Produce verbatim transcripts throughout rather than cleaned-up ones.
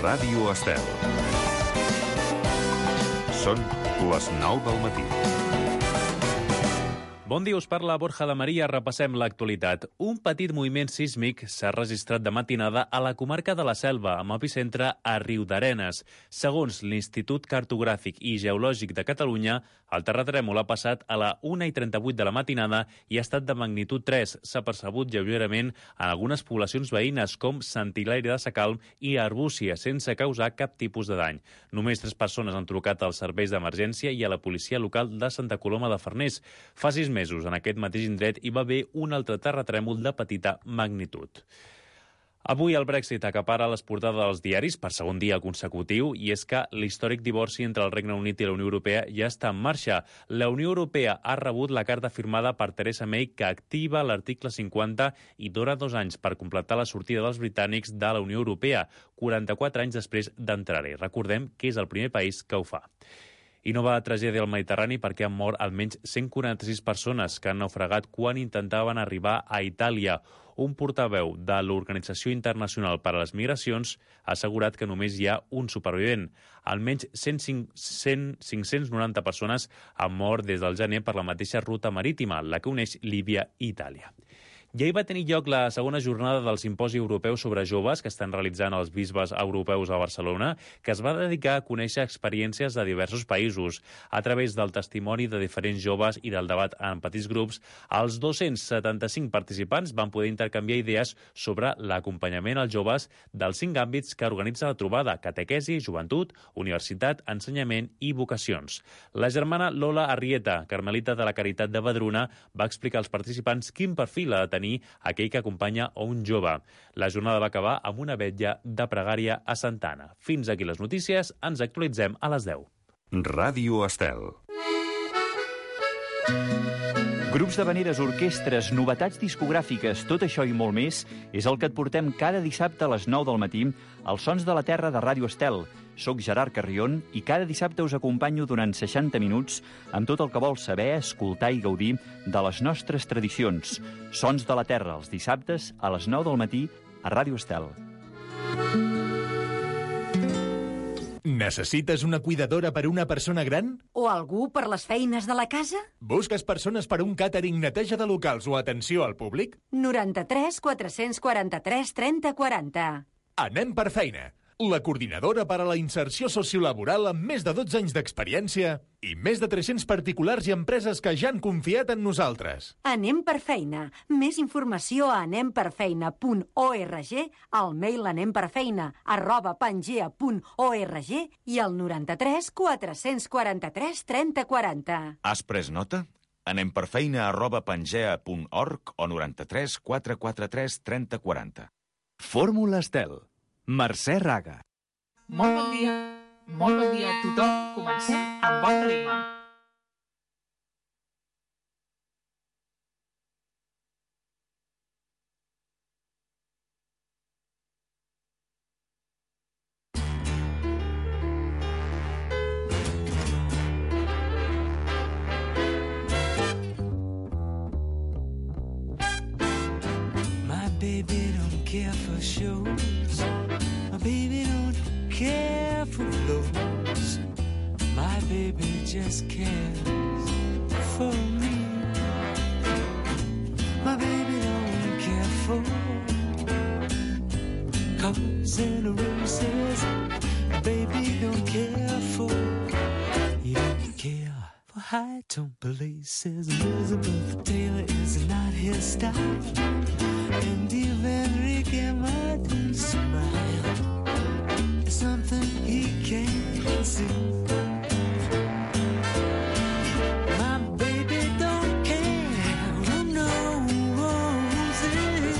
Ràdio Estel. Són les nou del matí. Bon dia, us parla Borja de Maria. Repassem l'actualitat. Un petit moviment sísmic s'ha registrat de matinada a la comarca de la Selva, amb epicentre a Riudarenes. Segons l'Institut Cartogràfic i Geològic de Catalunya, el terratrèmol ha passat a la una i trenta-vuit de la matinada i ha estat de magnitud tres. S'ha percebut lleugerament en algunes poblacions veïnes, com Sant Hilari de Sacalm i Arbúcies, sense causar cap tipus de dany. Només tres persones han trucat als serveis d'emergència i a la policia local de Santa Coloma de Farners. Fa sis mesos, en aquest mateix indret, hi va haver un altre terratrèmol de petita magnitud. Avui el Brexit acapara les portades dels diaris per segon dia consecutiu, i és que l'històric divorci entre el Regne Unit i la Unió Europea ja està en marxa. La Unió Europea ha rebut la carta firmada per Theresa May que activa l'article cinquanta i dona dos anys per completar la sortida dels britànics de la Unió Europea, quaranta-quatre anys després d'entrar-hi. Recordem que és el primer país que ho fa. I nova tragèdia al Mediterrani perquè han mort almenys cent quaranta-sis persones que han naufragat quan intentaven arribar a Itàlia. Un portaveu de l'Organització Internacional per a les Migracions ha assegurat que només hi ha un supervivent. Almenys cent cinc-cents noranta persones han mort des del gener per la mateixa ruta marítima, la que uneix Líbia i Itàlia. Ja hi va tenir lloc la segona jornada del Simposi Europeu sobre Joves que estan realitzant els bisbes europeus a Barcelona, que es va dedicar a conèixer experiències de diversos països. A través del testimoni de diferents joves i del debat en petits grups, els dos-cents setanta-cinc participants van poder intercanviar idees sobre l'acompanyament als joves dels cinc àmbits que organitza la trobada: catequesi, joventut, universitat, ensenyament i vocacions. La germana Lola Arrieta, carmelita de la Caritat de Badruna, va explicar als participants quin perfil ha de tenir aquell que acompanya a un jove. La jornada va acabar amb una vetlla de pregària a Santa Anna. Fins aquí les notícies, ens actualitzem a les deu. Ràdio Estel. Grups d'havaneres, orquestres, novetats discogràfiques, tot això i molt més és el que et portem cada dissabte a les nou del matí als Sons de la Terra de Ràdio Estel. Soc Gerard Carrion i cada dissabte us acompanyo durant seixanta minuts amb tot el que vols saber, escoltar i gaudir de les nostres tradicions. Sons de la Terra, els dissabtes a les nou del matí a Ràdio Estel. Necessites una cuidadora per a una persona gran? O algú per les feines de la casa? Busques persones per a un càtering, neteja de locals o atenció al públic? noranta-tres quatre-cents quaranta-tres trenta quaranta. Anem per feina. La coordinadora per a la inserció sociolaboral amb més de dotze anys d'experiència i més de tres-cents particulars i empreses que ja han confiat en nosaltres. Anem per feina. Més informació a anem per feina punt org, al mail anemperfeina arroba pangea punt org i al noranta-tres quatre-cents quaranta-tres trenta quaranta. Has pres nota? Anem per feina arroba pangea punt org o noranta-tres quatre-cents quaranta-tres trenta quaranta. Fórmula Estel. Mercè Raga. Molt bon dia, molt bon dia a tothom. Comencem amb bon ritme. My baby don't care for shows. Baby don't care for clothes. My baby just cares for me. My baby don't care for colors and roses. Baby don't care for. He don't care for high tone places. Elizabeth Taylor is not his style. And even Ricky Martin's smile is something he can't see. My baby don't care who knows it.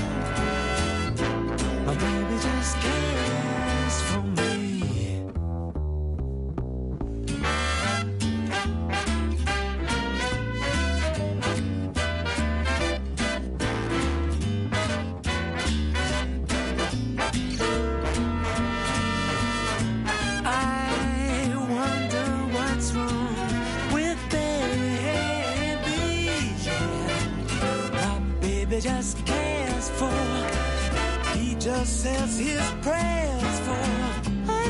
My baby just cares for me. Just cares for, he just says his prayers for. I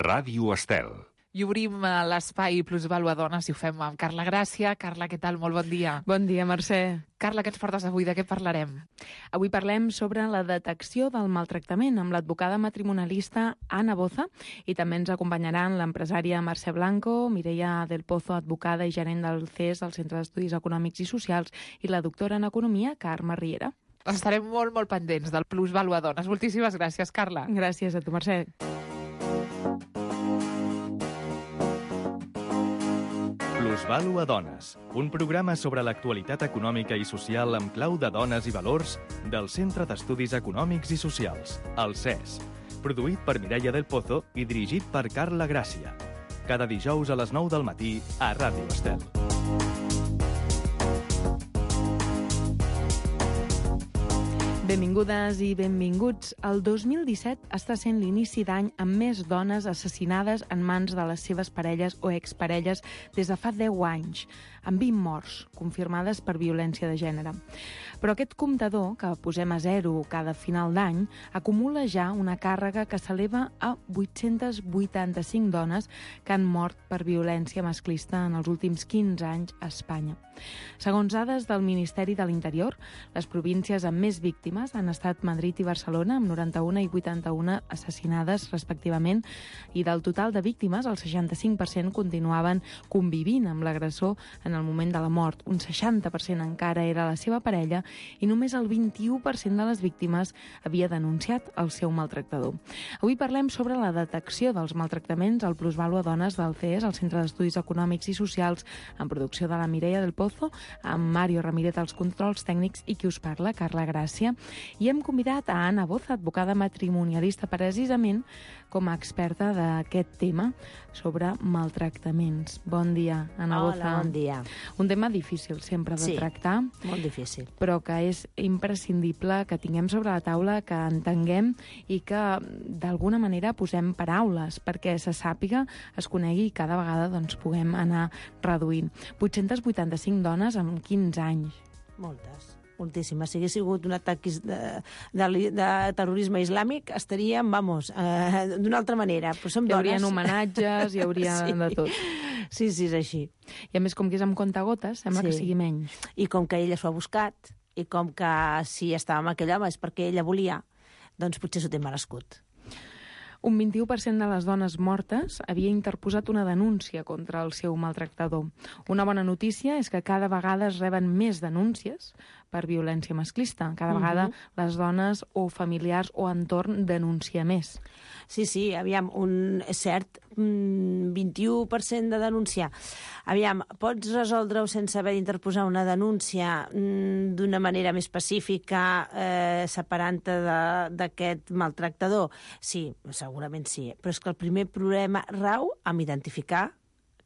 Ràdio Estel. I obrim l'espai Plusvàlua Dones i ho fem amb Carla Gràcia. Carla, què tal? Molt bon dia. Bon dia, Mercè. Carla, què ens portes avui? De què parlarem? Avui parlem sobre la detecció del maltractament amb l'advocada matrimonialista Ana Boza i també ens acompanyaran l'empresària Mercè Blanco, Mireia del Pozo, advocada i gerent del C E S, el Centre d'Estudis Econòmics i Socials, i la doctora en Economia, Carme Riera. Estarem molt, molt pendents del Plusvàlua Dones. Moltíssimes gràcies, Carla. Gràcies a tu, Mercè. Plusvàlua Dones, un programa sobre l'actualitat econòmica i social amb clau de dones i valors del Centre d'Estudis Econòmics i Socials, el C E S, produït per Mireia del Pozo i dirigit per Carla Gràcia. Cada dijous a les nou del matí a Ràdio Estel. Benvingudes i benvinguts. El dos mil disset està sent l'inici d'any amb més dones assassinades en mans de les seves parelles o exparelles des de fa deu anys, amb vint morts confirmades per violència de gènere. Però aquest comptador, que posem a zero cada final d'any, acumula ja una càrrega que s'eleva a vuit-centes vuitanta-cinc dones que han mort per violència masclista en els últims quinze anys a Espanya. Segons dades del Ministeri de l'Interior, les províncies amb més víctimes han estat Madrid i Barcelona, amb noranta-una i vuitanta-una assassinades respectivament, i del total de víctimes, el seixanta-cinc per cent continuaven convivint amb l'agressor en el moment de la mort. Un seixanta per cent encara era la seva parella i només el vint-i-u per cent de les víctimes havia denunciat el seu maltractador. Avui parlem sobre la detecció dels maltractaments al Plusvàlua Dones del C E S, el Centre d'Estudis Econòmics i Socials, en producció de la Mireia del Pozo, amb Mario Ramírez als controls tècnics i qui us parla, Carla Gràcia. I hem convidat a Ana Boza, advocada matrimonialista, precisament com a experta d'aquest tema sobre maltractaments. Bon dia, Ana Boza. Hola, bon dia. Un tema difícil sempre de sí, tractar. molt difícil. Però que és imprescindible que tinguem sobre la taula, que entenguem i que d'alguna manera posem paraules perquè se sàpiga, es conegui i cada vegada doncs, puguem anar reduint. vuit-centes vuitanta-cinc dones en quinze anys. Moltes. Moltíssimes. Si hagués sigut un atac de, de, de terrorisme islàmic, estaríem, vamos, eh, d'una altra manera. Però som hi dones. haurien homenatges, hi hauria sí. de tot. Sí, sí, és així. I a més, com que és amb comptagotes, sembla sí. que sigui menys. I com que ella s'ho ha buscat, i com que si estava amb aquell home és perquè ella volia, doncs potser s'ho té merescut. Un vint-i-u per cent de les dones mortes havia interposat una denúncia contra el seu maltractador. Una bona notícia és que cada vegada es reben més denúncies per violència masclista. Cada uh-huh. vegada les dones o familiars o entorn denuncia més. Sí, sí, aviam, un cert vint-i-u per cent de denunciar. Aviam, pots resoldre-ho sense haver d'interposar una denúncia d'una manera més pacífica, eh, separant-te d'aquest maltractador? Sí, segurament sí. Però és que el primer problema rau en identificar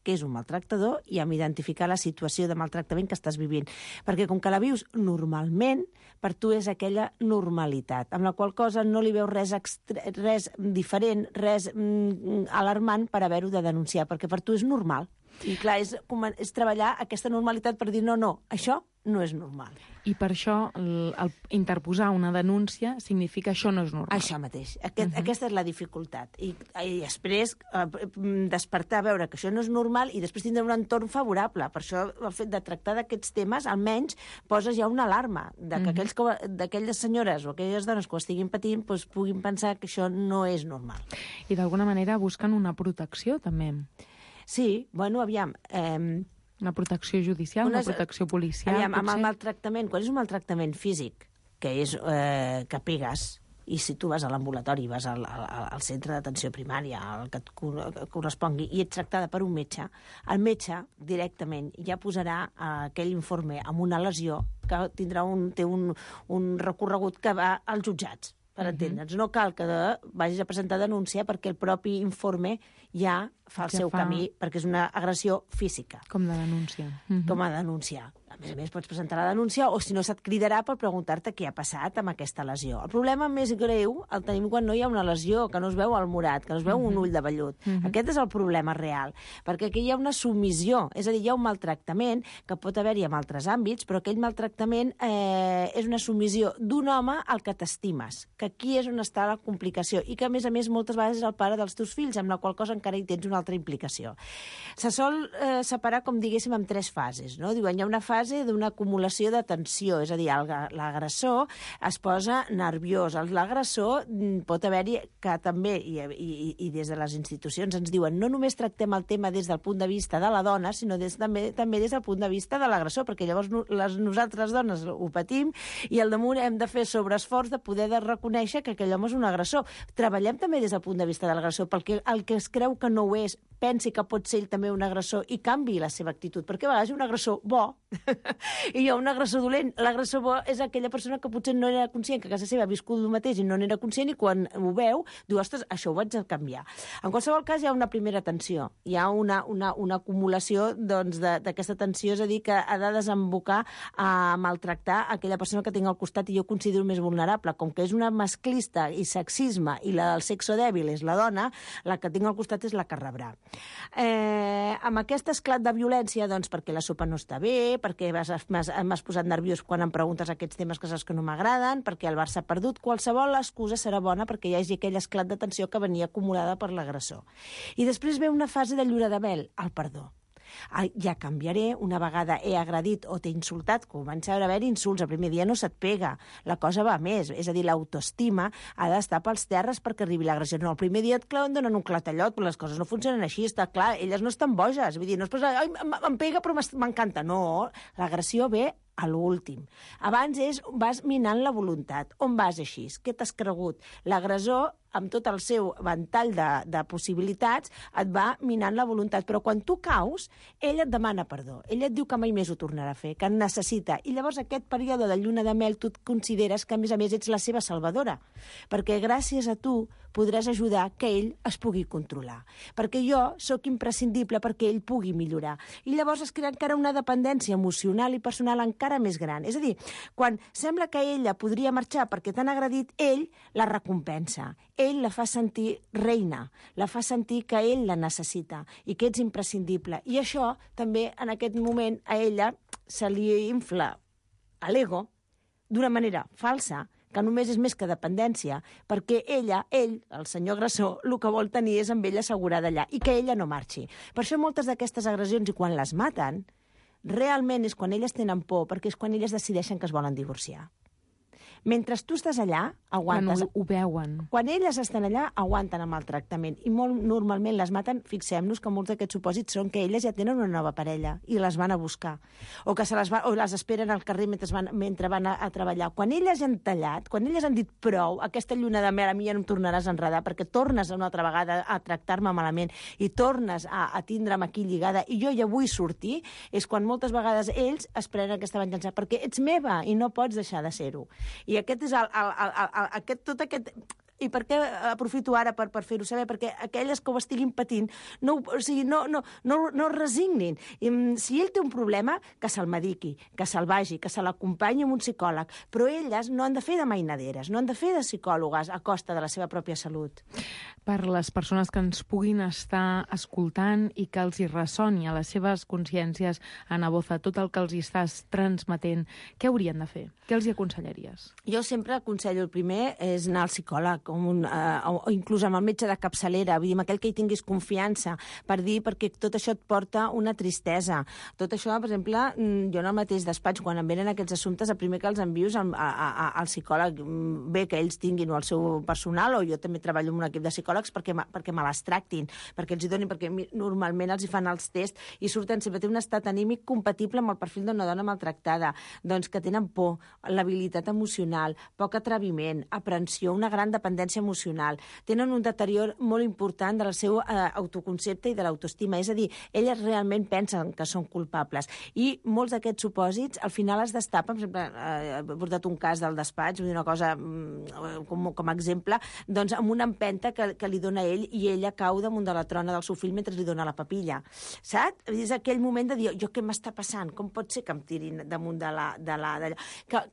què és un maltractador i amb identificar la situació de maltractament que estàs vivint. Perquè com que la vius normalment, per tu és aquella normalitat, amb la qual cosa no li veus res, extre... res diferent, res mm, alarmant per haver-ho de denunciar, perquè per tu és normal. I clar, és, és treballar aquesta normalitat per dir no, no, això no és normal. I per això el, el interposar una denúncia significa això no és normal. Això mateix. Aquest, uh-huh. Aquesta és la dificultat. I, i després eh, despertar a veure que això no és normal i després tindre un entorn favorable. Per això el fet de tractar d'aquests temes almenys poses ja una alarma de que uh-huh. aquells que, d'aquelles senyores o aquelles dones que ho estiguin patint doncs, puguin pensar que això no és normal. I d'alguna manera busquen una protecció també. Sí, bueno, aviam... Eh, una protecció judicial, una, una protecció policial... Aviam, amb el maltractament, quan és un maltractament físic, que és eh, que pegues, i si tu vas a l'ambulatori, vas al, al, al centre d'atenció primària, al que et correspongui, i ets tractada per un metge, el metge directament ja posarà eh, aquell informe amb una lesió que tindrà un, té un, un recorregut que va als jutjats. Per uh-huh. entendre'ns. No cal que de, vagis a presentar denúncia perquè el propi informe ja fa el ja seu fa... camí, perquè és una agressió física. Com de denúncia. Uh-huh. Com a denunciar. A més a més, pots presentar la denúncia o, si no, se't cridarà per preguntar-te què ha passat amb aquesta lesió. El problema més greu el tenim quan no hi ha una lesió, que no es veu el morat, que no es veu un ull de vellut. Uh-huh. Aquest és el problema real, perquè aquí hi ha una submissió, és a dir, hi ha un maltractament que pot haver-hi en altres àmbits, però aquell maltractament eh, és una submissió d'un home al que t'estimes, que aquí és on està la complicació, i que, a més a més, moltes vegades és el pare dels teus fills, amb la qual cosa encara hi tens una altra implicació. Se sol eh, separar, com diguéssim, en tres fases, no? Diuen, hi ha una fase d'una acumulació de tensió, és a dir, l'agressor es posa nerviós. L'agressor pot haver-hi que també, i, i, i des de les institucions ens diuen, no només tractem el tema des del punt de vista de la dona, sinó des, també, també des del punt de vista de l'agressor, perquè llavors no, les, nosaltres dones ho patim i al damunt hem de fer sobreesforç de poder de reconèixer que aquell home és un agressor. Treballem també des del punt de vista de l'agressor, perquè el que es creu que no ho és, pensi que pot ser ell també un agressor i canvi la seva actitud, perquè a vegades hi ha un agressor bo i hi ha un agressor dolent. L'agressor bo és aquella persona que potser no era conscient que a casa seva ha viscut el mateix i no n'era conscient, i quan ho veu, diu, ostres, això ho vaig a canviar. En qualsevol cas, hi ha una primera tensió, hi ha una, una, una acumulació doncs, d'aquesta tensió, és a dir, que ha de desembocar a maltractar aquella persona que tinc al costat i jo considero més vulnerable. Com que és una masclista i sexisme i la del sexo dèbil és la dona, la que tinc al costat és la que rebrà. Eh, amb aquest esclat de violència, doncs, perquè la sopa no està bé, perquè m'has posat nerviós quan em preguntes aquests temes que saps que no m'agraden, perquè el Barça ha perdut, qualsevol excusa serà bona perquè hi hagi aquell esclat de tensió que venia acumulada per l'agressor. I després ve una fase de llura de mel, el perdó. Ja canviaré, una vegada he agredit o t'he insultat, comença a haver insults, el primer dia no se't pega, la cosa va més, és a dir, l'autoestima ha d'estar pels terres perquè arribi l'agressió. No, el primer dia et claven, donen un clatellot, però les coses no funcionen així, està clar, elles no estan boges, vull dir, no es posa, ai, em pega però m'encanta, no, l'agressió ve a l'últim. Abans és, vas minant la voluntat. On vas així? Què t'has cregut? L'agressor, amb tot el seu ventall de, de possibilitats, et va minant la voluntat. Però quan tu caus, ell et demana perdó. Ell et diu que mai més ho tornarà a fer, que en necessita. I llavors aquest període de lluna de mel tu et consideres que, a més a més, ets la seva salvadora. Perquè gràcies a tu podràs ajudar que ell es pugui controlar. Perquè jo sóc imprescindible perquè ell pugui millorar. I llavors es crea encara una dependència emocional i personal encara més gran. És a dir, quan sembla que ella podria marxar perquè t'han agredit, ell la recompensa. Ell la fa sentir reina, la fa sentir que ell la necessita i que ets imprescindible. I això també en aquest moment a ella se li infla a l'ego d'una manera falsa, que només és més que dependència, perquè ella, ell, el senyor agressor, el que vol tenir és amb ella assegurada allà i que ella no marxi. Per això moltes d'aquestes agressions, i quan les maten, realment és quan elles tenen por, perquè és quan elles decideixen que es volen divorciar. Mentre tu estàs allà, aguantes. Quan ho, ho veuen. Quan elles estan allà, aguanten amb el tractament. I molt normalment les maten, fixem-nos que molts d'aquests supòsits són que elles ja tenen una nova parella i les van a buscar. O que se les, va, o les esperen al carrer mentre van, mentre van a, a treballar. Quan elles han tallat, quan elles han dit prou, aquesta lluna de mel a mi ja no em tornaràs a enredar perquè tornes una altra vegada a tractar-me malament i tornes a, a tindre'm aquí lligada i jo ja vull sortir, és quan moltes vegades ells es prenen aquesta venjança perquè ets meva i no pots deixar de ser-ho. I aquest és el, el, el, el, aquest, tot aquest... I per què aprofito ara per, per fer-ho saber? Perquè aquelles que ho estiguin patint no, o sigui, no, no, no, no es resignin. I, si ell té un problema, que se'l mediqui, que se'l vagi, que se l'acompanyi amb un psicòleg. Però elles no han de fer de mainaderes, no han de fer de psicòlogues a costa de la seva pròpia salut. Per les persones que ens puguin estar escoltant i que els hi ressoni a les seves consciències, Ana Boza, tot el que els hi estàs transmetent, què haurien de fer? Què els hi aconsellaries? Jo sempre aconsello, el primer és anar al psicòleg, com un, uh, o, o inclús amb el metge de capçalera, vull dir, amb aquell que hi tinguis confiança, per dir, perquè tot això et porta una tristesa. Tot això, per exemple, jo en el mateix despatx, quan em venen aquests assumptes, el primer que els envio és al, a, a, al psicòleg. Bé que ells tinguin o el seu personal, o jo també treballo amb un equip de psicòlegs perquè, perquè me les tractin, perquè els hi donin, perquè normalment els hi fan els tests i surten sempre, té un estat anímic compatible amb el perfil d'una dona maltractada, doncs que tenen por, l'habilitat emocional, poc atreviment, aprensió, una gran dependència dependència emocional, tenen un deterior molt important del seu eh, autoconcepte i de l'autoestima. És a dir, elles realment pensen que són culpables. I molts d'aquests supòsits al final es destapen. Per exemple, eh, he portat un cas del despatx, vull dir una cosa mm, com, com a exemple, doncs amb una empenta que, que li dona ell i ella cau damunt de la trona del seu fill mentre li dona la papilla. Saps? És aquell moment de dir, jo què m'està passant? Com pot ser que em tirin damunt de la... De la de... Que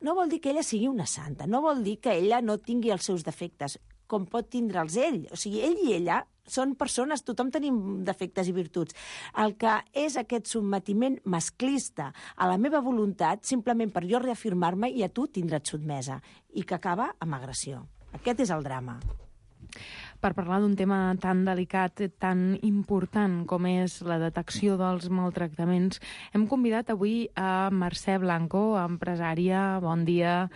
no vol dir que ella sigui una santa, no vol dir que ella no tingui els seus defectes, com pot tindre'ls ell. O sigui, ell i ella són persones, tothom tenim defectes i virtuts. El que és aquest sotmetiment masclista a la meva voluntat, simplement per jo reafirmar-me i a tu tindre't sotmesa, i que acaba amb agressió. Aquest és el drama. Per parlar d'un tema tan delicat, tan important com és la detecció dels maltractaments, hem convidat avui a Mercè Blanco, empresària. Bon dia.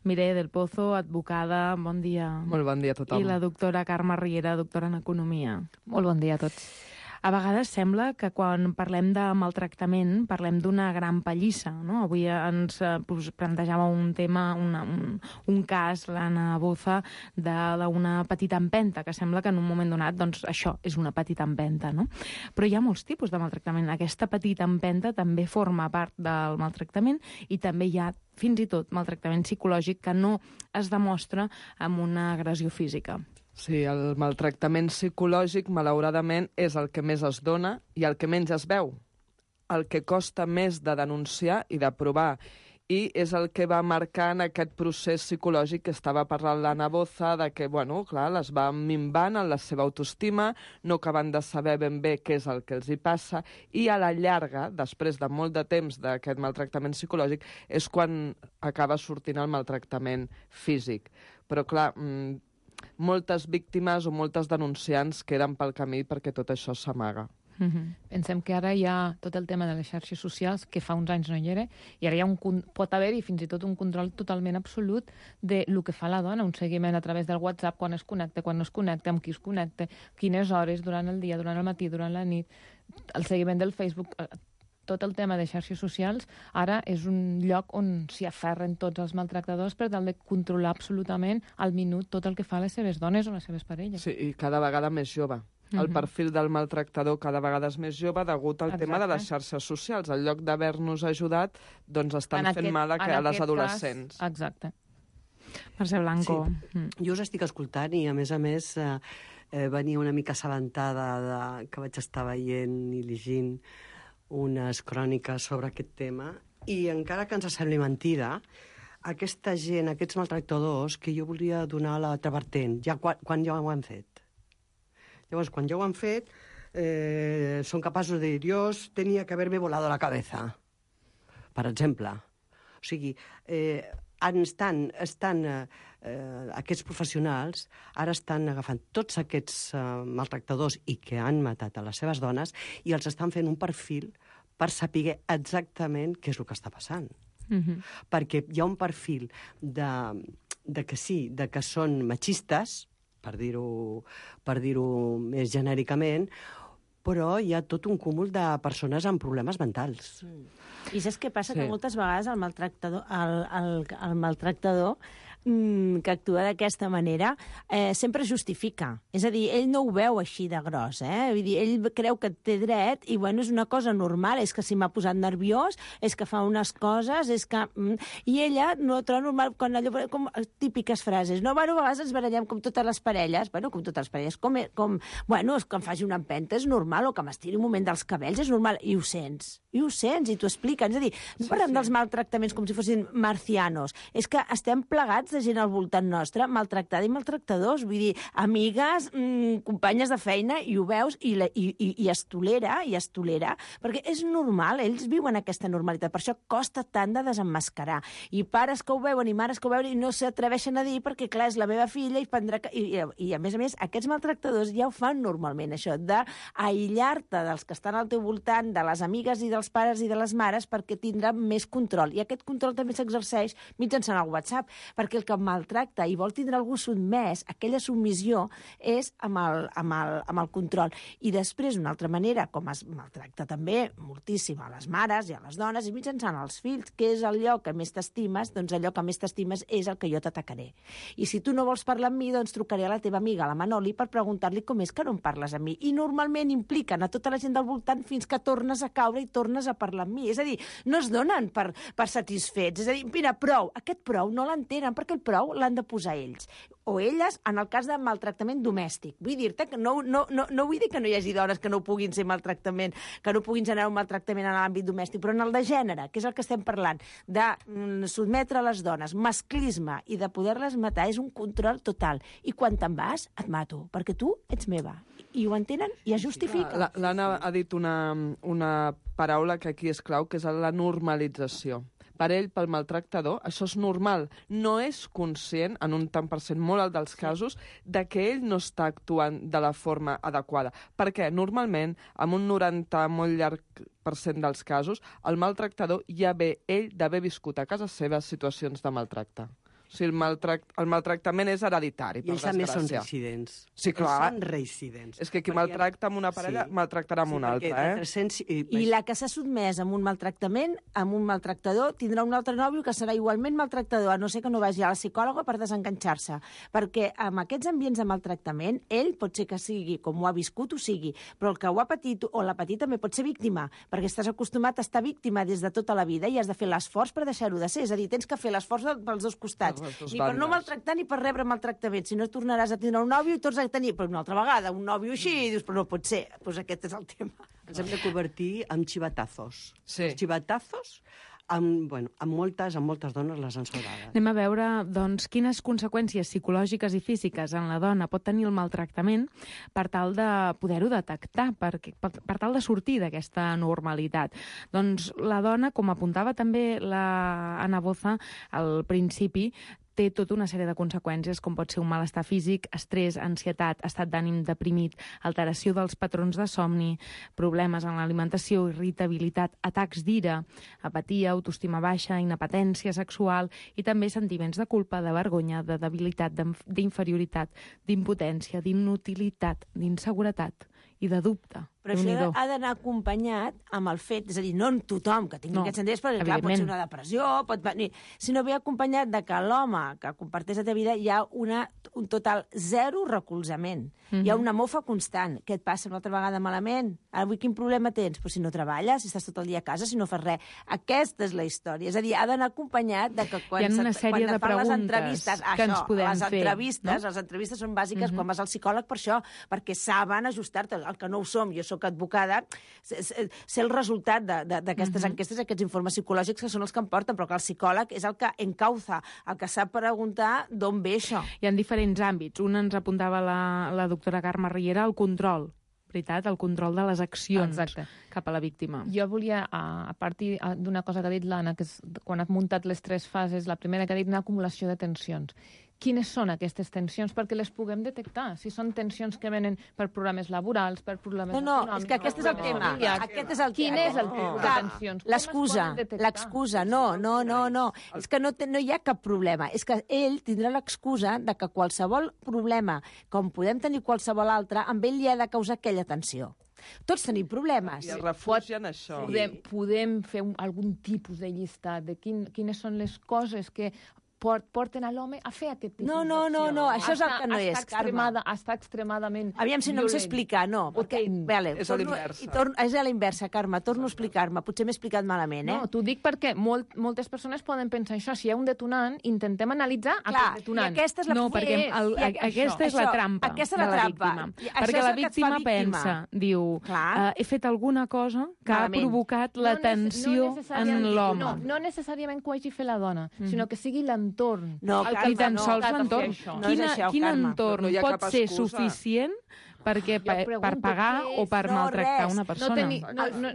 Mireia del Pozo, advocada. Bon dia. Molt bon dia a tothom. I la doctora Carme Riera, doctora en Economia. Molt bon dia a tots. A vegades sembla que quan parlem de maltractament parlem d'una gran pallissa, no? Avui ens eh, plantejava un tema, una, un, un cas, l'Anna Boza, d'una petita empenta, que sembla que en un moment donat, doncs això és una petita empenta, no? Però hi ha molts tipus de maltractament. Aquesta petita empenta també forma part del maltractament i també hi ha fins i tot maltractament psicològic que no es demostra amb una agressió física. Sí, el maltractament psicològic, malauradament, és el que més es dona i el que menys es veu. El que costa més de denunciar i de provar. I és el que va marcant aquest procés psicològic que estava parlant l'Anna Boza, de que, bueno, clar, les va minvant en la seva autoestima, no acaben de saber ben bé què és el que els hi passa, i a la llarga, després de molt de temps d'aquest maltractament psicològic, és quan acaba sortint el maltractament físic. Però, clar, moltes víctimes o moltes denunciants queden pel camí perquè tot això s'amaga. Mm-hmm. Pensem que ara hi ha tot el tema de les xarxes socials, que fa uns anys no hi era, i ara hi ha un, pot haver-hi fins i tot un control totalment absolut de lo que fa la dona, un seguiment a través del WhatsApp, quan es connecta, quan no es connecta, amb qui es connecta, quines hores, durant el dia, durant el matí, durant la nit, el seguiment del Facebook. Tot el tema de xarxes socials ara és un lloc on s'hi aferren tots els maltractadors per tal de controlar absolutament al minut tot el que fa les seves dones o les seves parelles. Sí, i cada vegada més jove. El Mhm. perfil del maltractador cada vegada és més jove degut al Exacte. tema de les xarxes socials. En lloc d'haver-nos ajudat, doncs estan En fent aquest- mal a, que, en a les aquest adolescents. cas, exacte. Mercè Blanco. Sí. Jo us estic escoltant i, a més a més, eh, eh, venia una mica assabentada de, que vaig estar veient i llegint unes cròniques sobre aquest tema, i encara que ens sembli mentida, aquesta gent, aquests maltractadors, que jo volia donar l'altra vertent, ja quan, quan ja ho han fet. Llavors, quan ja ho han fet, eh, són capaços de dir, Dios tenia que haver-me volado la cabeza, per exemple. O sigui, eh, estan, estan eh, eh, aquests professionals ara estan agafant tots aquests eh, maltractadors i que han matat a les seves dones i els estan fent un perfil per saber exactament què és el que està passant. Mm-hmm. Perquè hi ha un perfil de, de que sí, de que són machistes, per dir-ho per dir-ho més genèricament, però hi ha tot un cúmul de persones amb problemes mentals. I saps què passa? Sí. Que moltes vegades el maltractador, el, el, el maltractador mm, que actua d'aquesta manera eh, sempre justifica. És a dir, ell no ho veu així de gros, eh? Vull dir, ell creu que té dret i, bueno, és una cosa normal, és que si m'ha posat nerviós, és que fa unes coses, és que... Mm, i ella no ho troba normal, quan allò, com típiques frases, no? Bueno, a vegades ens barallem com totes les parelles, bueno, com totes les parelles, com, com bueno, és que em faci una empenta és normal, o que m'estiri un moment dels cabells és normal, i ho sents, i ho sents, i t'ho expliquen. És a dir, no Sí, parlem sí. dels maltractaments com si fossin marcianos, és que estem plegats de gent al voltant nostre, maltractada i maltractadors, vull dir, amigues, mmm, companyes de feina, i ho veus, i, la, i, i, i es tolera, i es tolera, perquè és normal, ells viuen aquesta normalitat, per això costa tant de desemmascarar. I pares que ho veuen i mares que ho veuen i no s'atreveixen a dir perquè, clar, és la meva filla i prendrà... I, i, i a més a més, aquests maltractadors ja ho fan normalment, això, d'aïllar-te dels que estan al teu voltant, de les amigues i dels pares i de les mares, perquè tindrà més control. I aquest control també s'exerceix mitjançant el WhatsApp, perquè perquè el que em maltracta i vol tindre algú sotmès, aquella submissió és amb el, amb el, amb el control. I després, una altra manera, com es maltracta també moltíssim a les mares i a les dones i mitjançant els fills, que és allò que més t'estimes, doncs allò que més t'estimes és el que jo t'atacaré. I si tu no vols parlar amb mi, doncs trucaré a la teva amiga, la Manoli, per preguntar-li com és que no em parles amb mi. I normalment impliquen a tota la gent del voltant fins que tornes a caure i tornes a parlar amb mi. És a dir, no es donen per, per satisfets. És a dir, mira, prou. Aquest prou no l'entenen perquè el prou l'han de posar ells. O elles, en el cas de maltractament domèstic. Vull dir-te que no, no, no, no vull dir que no hi hagi dones que no puguin ser maltractament, que no puguin generar un maltractament en l'àmbit domèstic, però en el de gènere, que és el que estem parlant, de mm, sotmetre les dones, masclisme i de poder-les matar, és un control total. I quan te'n vas, et mato, perquè tu ets meva. I ho entenen i es justifica. L'Anna ha dit una, una paraula que aquí és clau, que és la normalització. Per ell, pel maltractador, això és normal. No és conscient, en un tant per cent molt alt dels casos, de que ell no està actuant de la forma adequada. Perquè, normalment, amb un noranta molt llarg per cent dels casos, el maltractador ja ve ell d'haver viscut a casa seva situacions de maltracte. O sigui, el, maltract, el maltractament és hereditari, per I ells també desgràcia. són reincidents. Sí, clar. Ells són reincidents. És que qui perquè... maltracta amb una parella, sí. maltractarà amb sí, una altra, eh? tres-cents... I la que s'ha sotmès amb un maltractament, amb un maltractador, tindrà un altre nòvio que serà igualment maltractador, a no ser que no vagi a la psicòloga per desenganxar-se. Perquè amb aquests ambients de maltractament, ell pot ser que sigui, com ho ha viscut, ho sigui, però el que ho ha patit o l'ha patit també pot ser víctima, perquè estàs acostumat a estar víctima des de tota la vida i has de fer l'esforç per deixar-ho de ser. És a dir, tens que fer l'esforç pels dos costats. Ni per no maltractar ni per rebre maltractament. Si no tornaràs a tindre un nòvio i tornes a tenir però una altra vegada un nòvio així i dius, però no pot ser. Doncs aquest és el tema. Ens hem de convertir en xivatazos. Sí. Els xivatazos, amb, bueno, amb, moltes, amb moltes dones les han salvades. Anem a veure doncs, quines conseqüències psicològiques i físiques en la dona pot tenir el maltractament per tal de poder-ho detectar, per, per, per tal de sortir d'aquesta normalitat. Doncs la dona, com apuntava també la Ana Boza al principi, té tota una sèrie de conseqüències, com pot ser un malestar físic, estrès, ansietat, estat d'ànim deprimit, alteració dels patrons de somni, problemes en l'alimentació, irritabilitat, atacs d'ira, apatia, autoestima baixa, inapetència sexual i també sentiments de culpa, de vergonya, de debilitat, d'inferioritat, d'impotència, d'inutilitat, d'inseguretat i de dubte. Però això ha d'anar acompanyat amb el fet, és a dir, no en tothom que tingui no, aquests sentiments, perquè clar, pot ser una depressió, pot venir, sinó ve acompanyat de que l'home que comparteix la teva vida hi ha una, un total zero recolzament. Mm-hmm. Hi ha una mofa constant. Què et passa una altra vegada malament? Avui quin problema tens? Pues si no treballes, si estàs tot el dia a casa, si no fas res. Aquesta és la història. És a dir, ha d'anar acompanyat de que quan, hi ha una sèrie quan de fan les que entrevistes, això, ens podem les fer, entrevistes, no? les entrevistes són bàsiques mm-hmm. quan vas al psicòleg per això, perquè saben ajustar-te. El que no ho som, jo soc advocada, sé el resultat d'aquestes mm-hmm. enquestes, aquests informes psicològics que són els que em porten, però que el psicòleg és el que encauza, el que sap preguntar d'on ve això. Hi ha diferents àmbits. Un ens apuntava la, la doctora Carme Riera, el control, veritat? El control de les accions Exacte. Cap a la víctima. Jo volia, a partir d'una cosa que ha dit l'Anna, que és quan ha muntat les tres fases, la primera que ha dit una acumulació de tensions. Quines són aquestes tensions perquè les puguem detectar? Si són tensions que venen per problemes laborals, per problemes no, no, econòmics... és que aquest és el tema. Aquest és el Quin tema. és el tipus de tensions? L'excusa, l'excusa, no, no, no, no. És que no, no hi ha cap problema. És que ell tindrà l'excusa de que qualsevol problema, com podem tenir qualsevol altre, amb ell li ha de causar aquella tensió. Tots tenim problemes. I es refugien en això. Podem, podem fer un, algun tipus de llistat de quin, quines són les coses que porten a l'home a fer aquest tipus no, no, no, no, això és el que no és, Carme. Està extremadament Aviam si no em sé explicar, no. Perquè, vale, és a l'inversa. És a la inversa, Carme, torno a explicar-me. Potser m'he explicat malament, eh? No, t'ho dic perquè molt, moltes persones poden pensar això. Si hi ha un detonant, intentem analitzar Clar, aquest detonant. I aquesta és la, no, perquè el, a, aquesta és la trampa aquesta és la de la trampa. víctima. Perquè la víctima pensa, diu, uh, he fet alguna cosa que malament. Ha provocat la no tensió no en l'home. No, no necessàriament que ho hagi fet la dona, mm-hmm. sinó que sigui l'entorn. No, Ni tan sols l'entorn. Quin entorn pot ser suficient perquè per, per pagar o per no, maltractar res. una persona?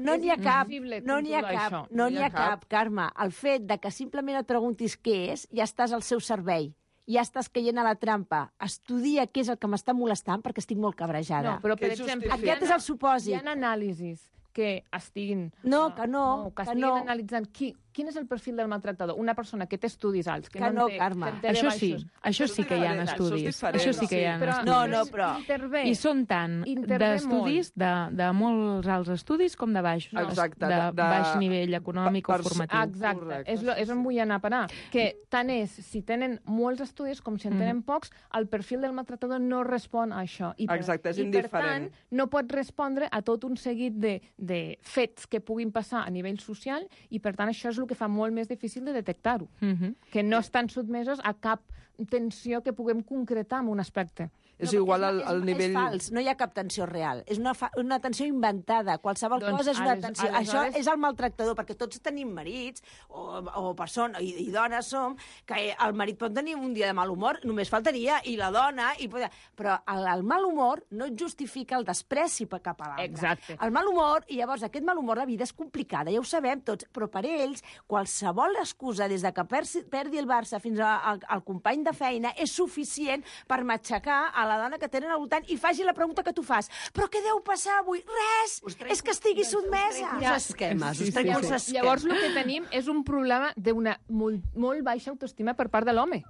No n'hi ha cap, no n'hi ha cap, no n'hi ha cap, Carme. El fet de que simplement et preguntis què és, ja estàs al seu servei. Ja estàs caient a la trampa. Estudia què és el que m'està molestant perquè estic molt cabrejada. No, però, per exemple, aquest és el supòsit. Hi ha anàlisis que estiguin... No, que no, no que que estiguin no. analitzant qui, quin és el perfil del maltractador? Una persona que té estudis alts, que, que no, no té, Carme. que té Això sí, baixos. això sí que hi ha estudis. Això sí que hi ha però, estudis. No, no, però... Intervé. I són tant d'estudis, de, de molts alts estudis, com de baix, no, Exacte, de, de- de- baix nivell econòmic per- o formatiu. Exacte, Correcte, és, lo, és on vull anar a parar. Que tant és, si tenen molts estudis com si en tenen pocs, el perfil del maltractador no respon a això. I per, Exacte, és i indiferent. per tant, no pot respondre a tot un seguit de, de fets que puguin passar a nivell social i, per tant, això és el que fa molt més difícil de detectar-ho. Uh -huh. Que no estan sotmesos a cap tensió que puguem concretar en un aspecte. És No, igual perquè al, és, al és, nivell... És fals, no hi ha cap tensió real. És una, fa, una tensió inventada. Qualsevol Doncs, cosa és una ales- tensió. aleshores- Això és el maltractador, perquè tots tenim marits o, o persones, i, i dones som, que el marit pot tenir un dia de mal humor, només faltaria, i la dona... I, però el, el mal humor no justifica el despreci cap a l'altre. Exacte. El mal humor, i llavors aquest mal humor, la vida és complicada, ja ho sabem tots, però per ells, qualsevol excusa, des de que perdi, perdi el Barça fins a, al, al company de feina, és suficient per matxacar a la dona que tenen al voltant i faci la pregunta que tu fas. Però què deu passar avui? Res! És que estigui sotmesa. Uns esquemes, us trec uns esquemes. Llavors, el que tenim és un problema d'una molt, molt baixa autoestima per part de l'home.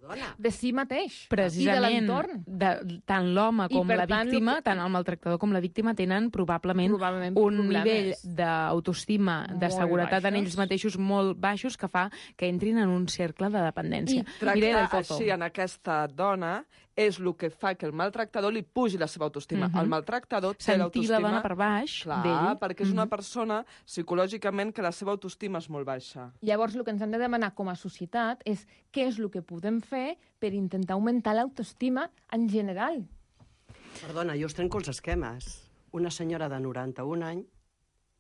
Perdona. De si mateix. Precisament, I de l'entorn. de, tant l'home I, com per la tant, víctima, el que- tant el maltractador com la víctima, tenen probablement, Probablement un problemes. nivell d'autoestima, de Molt seguretat en baixos. ells mateixos molt baixos, que fa que entrin en un cercle de dependència. I tractar Mireia del Pozo. així en aquesta dona és el que fa que el maltractador li pugi la seva autoestima. Mhm. El maltractador té Sentir l'autoestima... la dona per baix Clar, d'ell. perquè és una Mhm. persona psicològicament que la seva autoestima és molt baixa. Llavors, el que ens hem de demanar com a societat és què és el que podem fer per intentar augmentar l'autoestima en general. Perdona, jo us trenco els esquemes. Una senyora de noranta-un anys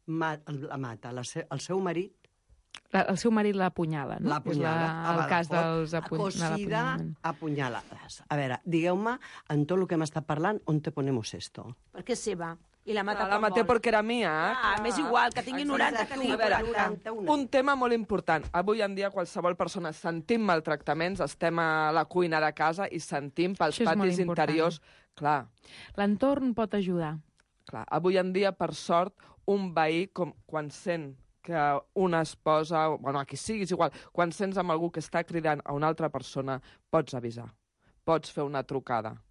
ma la mata la se el seu marit. La, el seu marit l'apunyala, no? L'apunyala. És la, el Ah, cas d'acord. dels apuny de Acosida, l'apunyalament. apunyalades. A veure, digueu-me, en tot el que hem estat parlant, on te ponemos esto? Perquè és seva. I la mata La quan maté vol. perquè era mia. Ah, m'és igual, que tingui noranta, que tingui A veure, quaranta. un tema molt important. Avui en dia qualsevol persona sentim maltractaments, estem a la cuina de casa i sentim pels Això és molt patis important. interiors... Clar, L'entorn pot ajudar. clar. Avui en dia, per sort, un veí, com, quan sent que una esposa, bueno, a qui siguis igual, quan sents amb algú que està cridant a una altra persona, pots avisar, pots fer una trucada.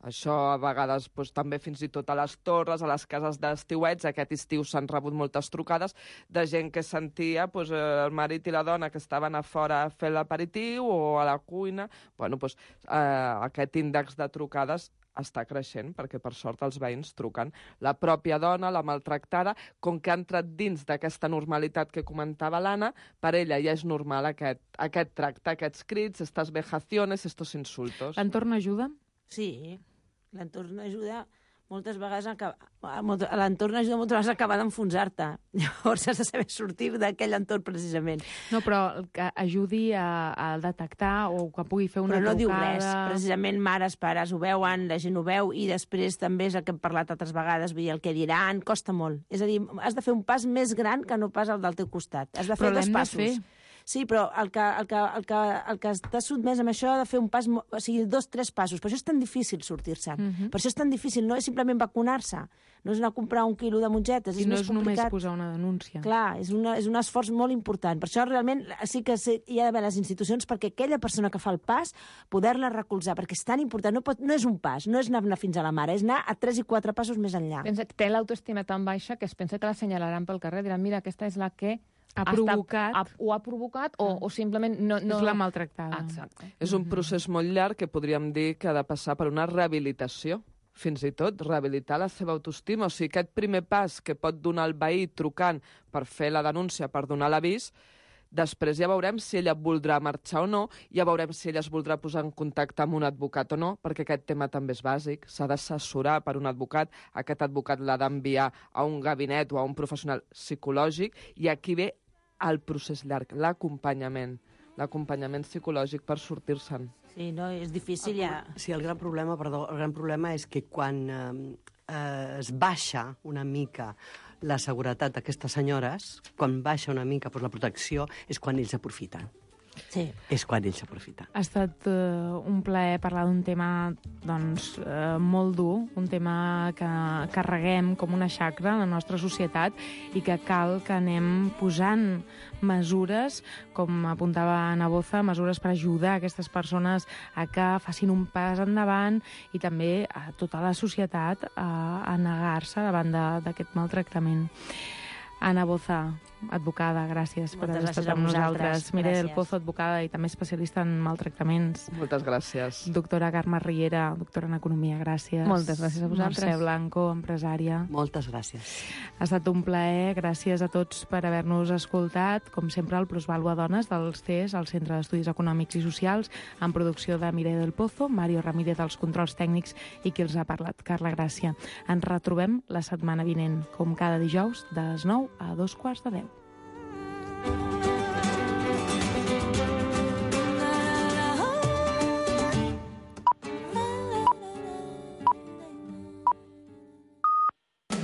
Això a vegades doncs, també fins i tot a les torres, a les cases d'estiuets, aquest estiu s'han rebut moltes trucades de gent que sentia doncs, el marit i la dona que estaven a fora a fer l'aperitiu o a la cuina. Bueno, doncs, eh, aquest índex de trucades està creixent, perquè per sort els veïns truquen. La pròpia dona, la maltractada, com que ha entrat dins d'aquesta normalitat que comentava l'Anna, per ella ja és normal aquest, aquest tracte, aquests crits, estas vejaciones, estos insultos. L'entorn ajuda? Sí, l'entorn ajuda moltes vegades a, a l'entorn ajuda moltes vegades a acabar d'enfonsar-te. Llavors has de saber sortir d'aquell entorn precisament. No, però que ajudi a, a detectar o que pugui fer una Però no trucada... diu res. Precisament mares, pares ho veuen, la gent ho veu, i després també és el que hem parlat altres vegades, vull dir, el que diran costa molt. És a dir, has de fer un pas més gran que no pas el del teu costat. Has de fer Però dos l'hem de passos. fer. Sí, però el que, el, que, el, que, el que està sotmès amb això ha de fer un pas, o sigui, dos, tres passos. Per això és tan difícil sortir-se'n. Uh -huh. Per això és tan difícil. No és simplement vacunar-se. No és anar a comprar un quilo de mongetes. I és no més és només complicat. posar una denúncia. Clar, és, una, és un esforç molt important. Per això realment sí que hi ha d'haver les institucions perquè aquella persona que fa el pas poder-la recolzar, perquè és tan important. No, pot, no és un pas, no és anar fins a la mare, és anar a tres i quatre passos més enllà. Pensa, té l'autoestima tan baixa que es pensa que l'assenyalaran pel carrer, diran, mira, aquesta és la que ha provocat, ha, ho ha provocat o, o simplement no, no... És la maltractada. Exacte. És un procés molt llarg que podríem dir que ha de passar per una rehabilitació, fins i tot rehabilitar la seva autoestima. O sigui, aquest primer pas que pot donar el veí trucant per fer la denúncia, per donar l'avís, després ja veurem si ella voldrà marxar o no, ja veurem si ella es voldrà posar en contacte amb un advocat o no, perquè aquest tema també és bàsic. S'ha d'assessorar per un advocat, aquest advocat l'ha d'enviar a un gabinet o a un professional psicològic, i aquí ve el procés llarg, l'acompanyament, l'acompanyament psicològic per sortir-se'n. Sí, no, és difícil ja... Sí, el gran problema, perdó, el gran problema és que quan eh, eh, es baixa una mica la seguretat d'aquestes senyores, quan baixa una mica pues, la protecció, és quan ells aprofiten. Sí. És quan ells s'aprofiten. Ha estat uh, un plaer parlar d'un tema doncs, uh, molt dur, un tema que carreguem com una xacra en la nostra societat i que cal que anem posant mesures, com apuntava Ana Boza, mesures per ajudar aquestes persones a que facin un pas endavant i també a tota la societat a, a negar-se davant d'aquest maltractament. Ana Boza, advocada, gràcies per haver estat amb nosaltres. Mireia del Pozo, advocada i també especialista en maltractaments. Moltes gràcies. Doctora Carme Riera, doctora en Economia, gràcies. Moltes gràcies a vosaltres. Mercè Blanco, empresària. Moltes gràcies. Ha estat un plaer, gràcies a tots per haver-nos escoltat. Com sempre, el Plusvàlua Dones dels C E S, el Centre d'Estudis Econòmics i Socials, en producció de Mireia del Pozo, Mario Ramírez dels controls tècnics i qui els ha parlat, Carla Gràcia. Ens retrobem la setmana vinent, com cada dijous, de les nou a dos quarts de deu.